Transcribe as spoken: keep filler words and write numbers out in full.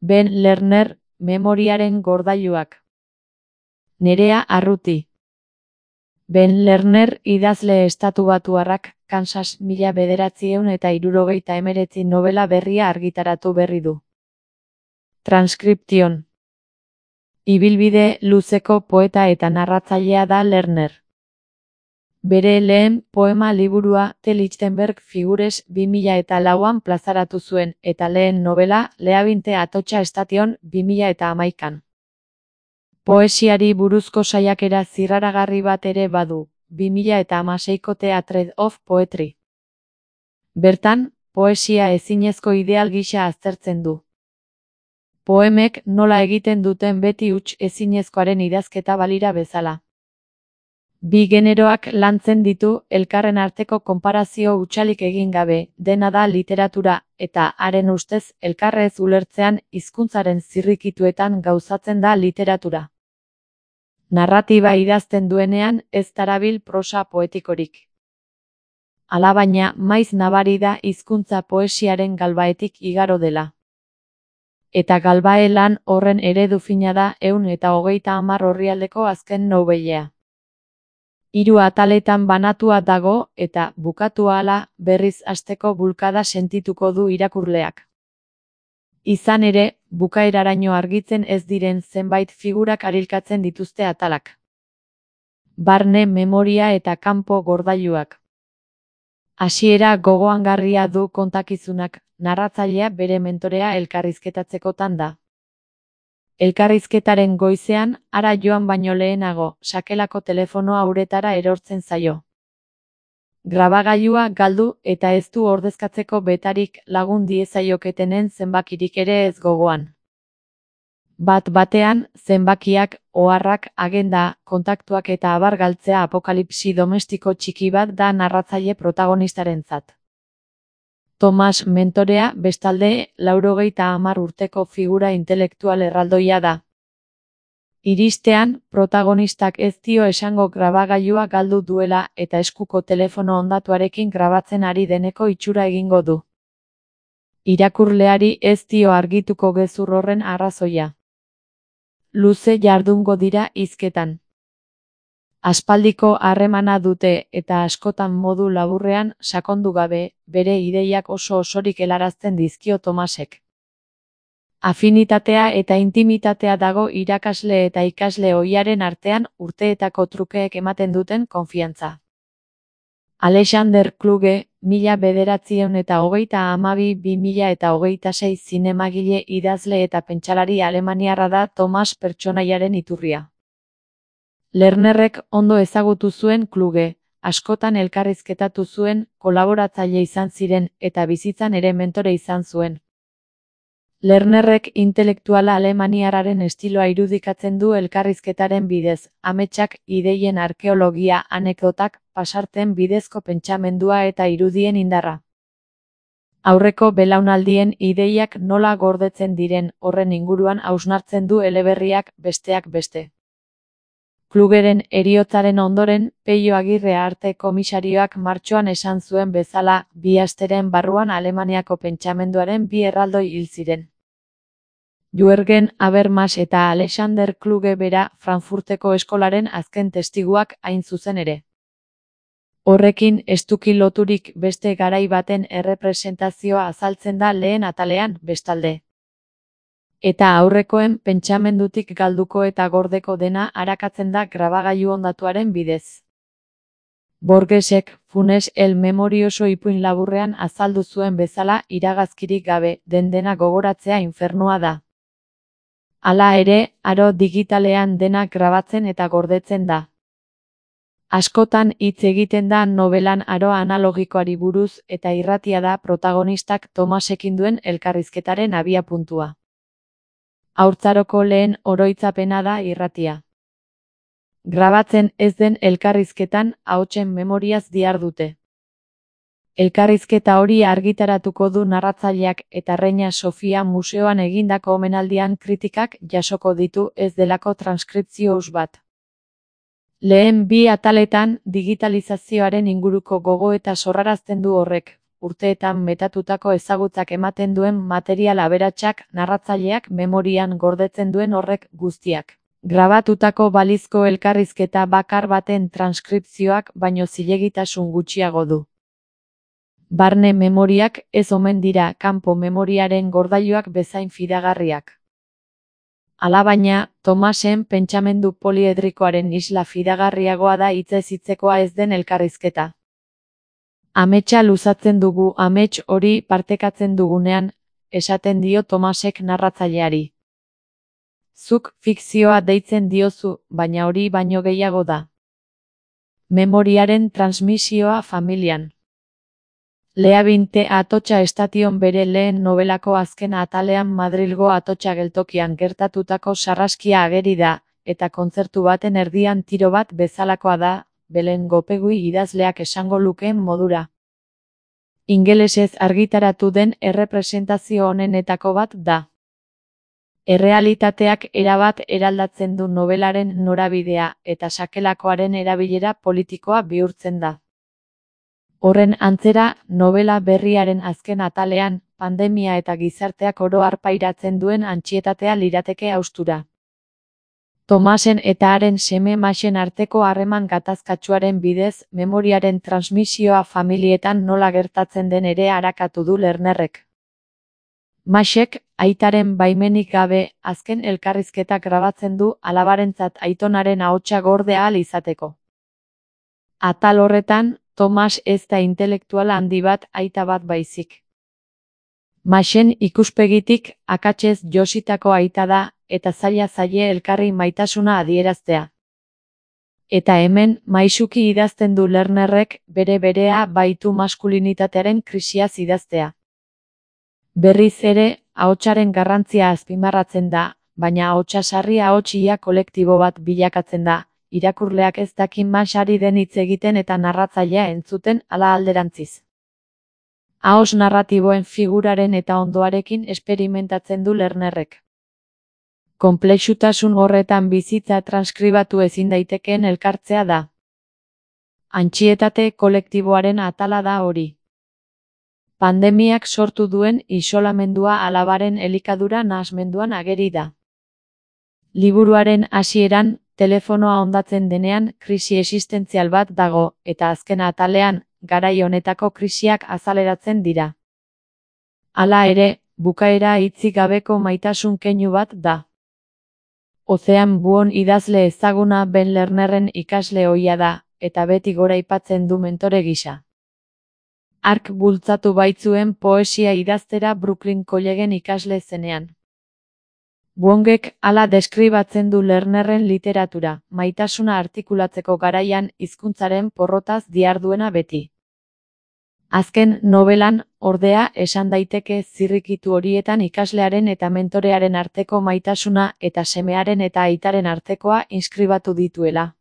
Ben Lerner, memoriaren gordailuak. Nerea Arruti. Ben Lerner idazle estatubatuarrak Kansas mila bederatziehun eta hirurogeita hemeretzi nobela berria argitaratu berri du. Transkription. Ibilbide luzeko poeta eta narratzailea da Lerner. Bere lehen poema liburua The Lichtenberg Figures bi mila eta lauan plazaratu zuen eta lehen nobela Leabinte Atotxa Station bi mila eta hamaikan. Poesiari buruzko saiakera zirraragarri bat ere badu, bi mila eta hamaseiko Theatre of Poetry. Bertan, poesia ezinezko ideal gisa aztertzen du. Poemek nola egiten duten beti huts ezinezkoaren idazketa balira bezala. Bi generoak lantzen ditu elkarren arteko konparazio hutsalik egin gabe, dena da literatura, eta haren ustez elkarrez ulertzean hizkuntzaren zirrikituetan gauzatzen da literatura. Narratiba idazten duenean ez darabil prosa poetikorik. Alabaina maiz nabari da hizkuntza poesiaren galbaetik igaro dela. Eta galbae lan horren eredu fina da ehun eta hogeita hamar orrialdeko azken nobelea. Hiru ataletan banatua dago eta bukatu ahala berriz hasteko bulkada sentituko du irakurleak. Izan ere, bukaeraraino argitzen ez diren zenbait figurak arilkatzen dituzte atalak. Barne memoria eta kanpo gordailuak. Hasiera gogoangarria du kontakizunak, narratzailea bere mentorea elkarrizketatzekotan da. Elkarrizketaren goizean, hara joan baino lehenago, sakelako telefonoa uretara erortzen zaio. Grabagailua galdu eta ez du ordezkatzeko betarik lagun diezaioketenen zenbakirik ere ez gogoan. Bat batean, zenbakiak, oharrak, agenda, kontaktuak eta abar galtzea apokalipsi domestiko txiki bat da narratzaile protagonistarentzat. Thomas mentorea bestalde laurogeita hamar urteko figura intelektual erraldoia da. Iristean, protagonistak ez dio esango grabagailua galdu duela eta eskuko telefono hondatuarekin grabatzen ari deneko itxura egingo du. Irakurleari ez dio argituko gezur horren arrazoia. Luze jardungo dira hizketan. Aspaldiko harremana dute eta askotan modu laburrean sakondu gabe, bere ideiak oso osorik helarazten dizkio Tomasek. Afinitatea eta intimitatea dago irakasle eta ikasle ohiaren artean urteetako trukeek ematen duten konfiantza. Alexander Kluge, mila bederatziehun eta hogeita hamabi bi mila eta hogeita sei zinemagile idazle eta pentsalari alemaniarra da Thomas pertsonaiaren iturria. Lernerrek ondo ezagutu zuen Kluge, askotan elkarrizketatu zuen, kolaboratzaile izan ziren eta bizitzan ere mentore izan zuen. Lernerrek intelektuala alemaniarraren estiloa irudikatzen du elkarrizketaren bidez, ametsak, ideien arkeologia, anekdotak, pasarten bidezko pentsamendua eta irudien indarra. Aurreko belaunaldien ideiak nola gordetzen diren horren inguruan hausnartzen du eleberriak besteak beste. Klugeren heriotzaren ondoren, Peio Agirre arte komisarioak martxoan esan zuen bezala, bi asteren barruan Alemaniako pentsamenduaren bi erraldoi hil ziren. Jürgen Habermas eta Alexander Kluge bera Frankfurteko eskolaren azken testiguak hain zuzen ere. Horrekin estuki loturik beste garai baten errepresentazioa azaltzen da lehen atalean, bestalde. Eta aurrekoen pentsamendutik galduko eta gordeko dena arakatzen da grabagailu hondatuaren bidez. Borgesek, Funes el memorioso ipuin laburrean azaldu zuen bezala iragazkirik gabe, den dena gogoratzea infernua da. Hala ere, aro digitalean dena grabatzen eta gordetzen da. Askotan hitz egiten da nobelan aro analogikoari buruz eta irratia da protagonistak Tomasekin duen elkarrizketaren abiapuntua. Haurtzaroko lehen oroitzapena da irratia. Grabatzen ez den elkarrizketan ahotsen memoriaz dihardute. Elkarrizketa hori argitaratuko du narratzaileak eta Reina Sofia museoan egindako omenaldian kritikak jasoko ditu ez delako transkripzio huts bat. Lehen bi ataletan digitalizazioaren inguruko gogo eta sorrarazten du horrek, urteetan metatutako ezagutzak ematen duen material aberatsak narratzaileak memorian gordetzen duen horrek guztiak. Grabatutako balizko elkarrizketa bakar baten transkripzioak baino zilegitasun gutxiago du. Barne memoriak ez omen dira kanpo memoriaren gordailuak bezain fidagarriak. Alabaina, Tomasen pentsamendu poliedrikoaren isla fidagarriagoa da hitzez hitzekoa ez den elkarrizketa. Ametsa luzatzen dugu amets hori partekatzen dugunean, esaten dio Tomasek narratzaileari. Zuk fikzioa deitzen diozu, baina hori baino gehiago da. Memoriaren transmisioa familian. Lea Binte Atotxa estation bere lehen nobelako azken atalean Madrilgo Atotxa geltokian gertatutako sarraskia ageri da, eta kontzertu baten erdian tiro bat bezalakoa da, Belen Gopegui idazleak esango lukeen modura. Ingelesez argitaratu den errepresentazio honenetako bat da. Errealitateak erabat eraldatzen du nobelaren norabidea eta sakelakoaren erabilera politikoa bihurtzen da. Horren antzera, nobela berriaren azken atalean, pandemia eta gizarteak oro har pairatzen duen antsietatea lirateke haustura. Tomasen eta haren seme Maxen arteko harreman gatazkatsuaren bidez, memoriaren transmisioa familietan nola gertatzen den ere arakatu du Lernerrek. Maxek, aitaren baimenik gabe, azken elkarrizketak grabatzen du alabarentzat aitonaren ahotsa gorde ahal izateko. Atal horretan, Tomas ez da intelektuala handi bat aita bat baizik. Maxen ikuspegitik akatsez jositako aita da, eta zaila zaie elkarri maitasuna adieraztea. Eta hemen, maisuki idazten du Lernerrek, bere berea baitu maskulinitatearen krisiaz idaztea. Berriz ere, ahotsaren garrantzia azpimarratzen da, baina ahotsa sarri ahotsia kolektibo bat bilakatzen da, irakurleak ez dakin Maxari den hitz egiten eta narratzailea entzuten ala alderantziz. Ahos narratiboen figuraren eta ondoarekin esperimentatzen du Lernerrek. Konplexutasun horretan bizitza transkribatu ezin daitekeen elkartzea da. Antsietate kolektiboaren atala da hori. Pandemiak sortu duen isolamendua alabaren elikadura nahasmenduan ageri da. Liburuaren hasieran, telefonoa hondatzen denean krisi existentzial bat dago, eta azken atalean, garai honetako krisiak azaleratzen dira. Hala ere, bukaera hitzik gabeko maitasun keinu bat da. Ozean Buon idazle ezaguna Ben Lernerren ikasle ohia da, eta beti goraipatzen du mentore gisa. Hark bultzatu baitzuen poesia idaztera Brooklyn Collegen ikasle zenean. Buongek hala deskribatzen du Lernerren literatura, maitasuna artikulatzeko garaian hizkuntzaren porrotaz diharduena beti. Azken nobelan, ordea, esan daiteke zirrikitu horietan ikaslearen eta mentorearen arteko maitasuna eta semearen eta aitaren artekoa inskribatu dituela.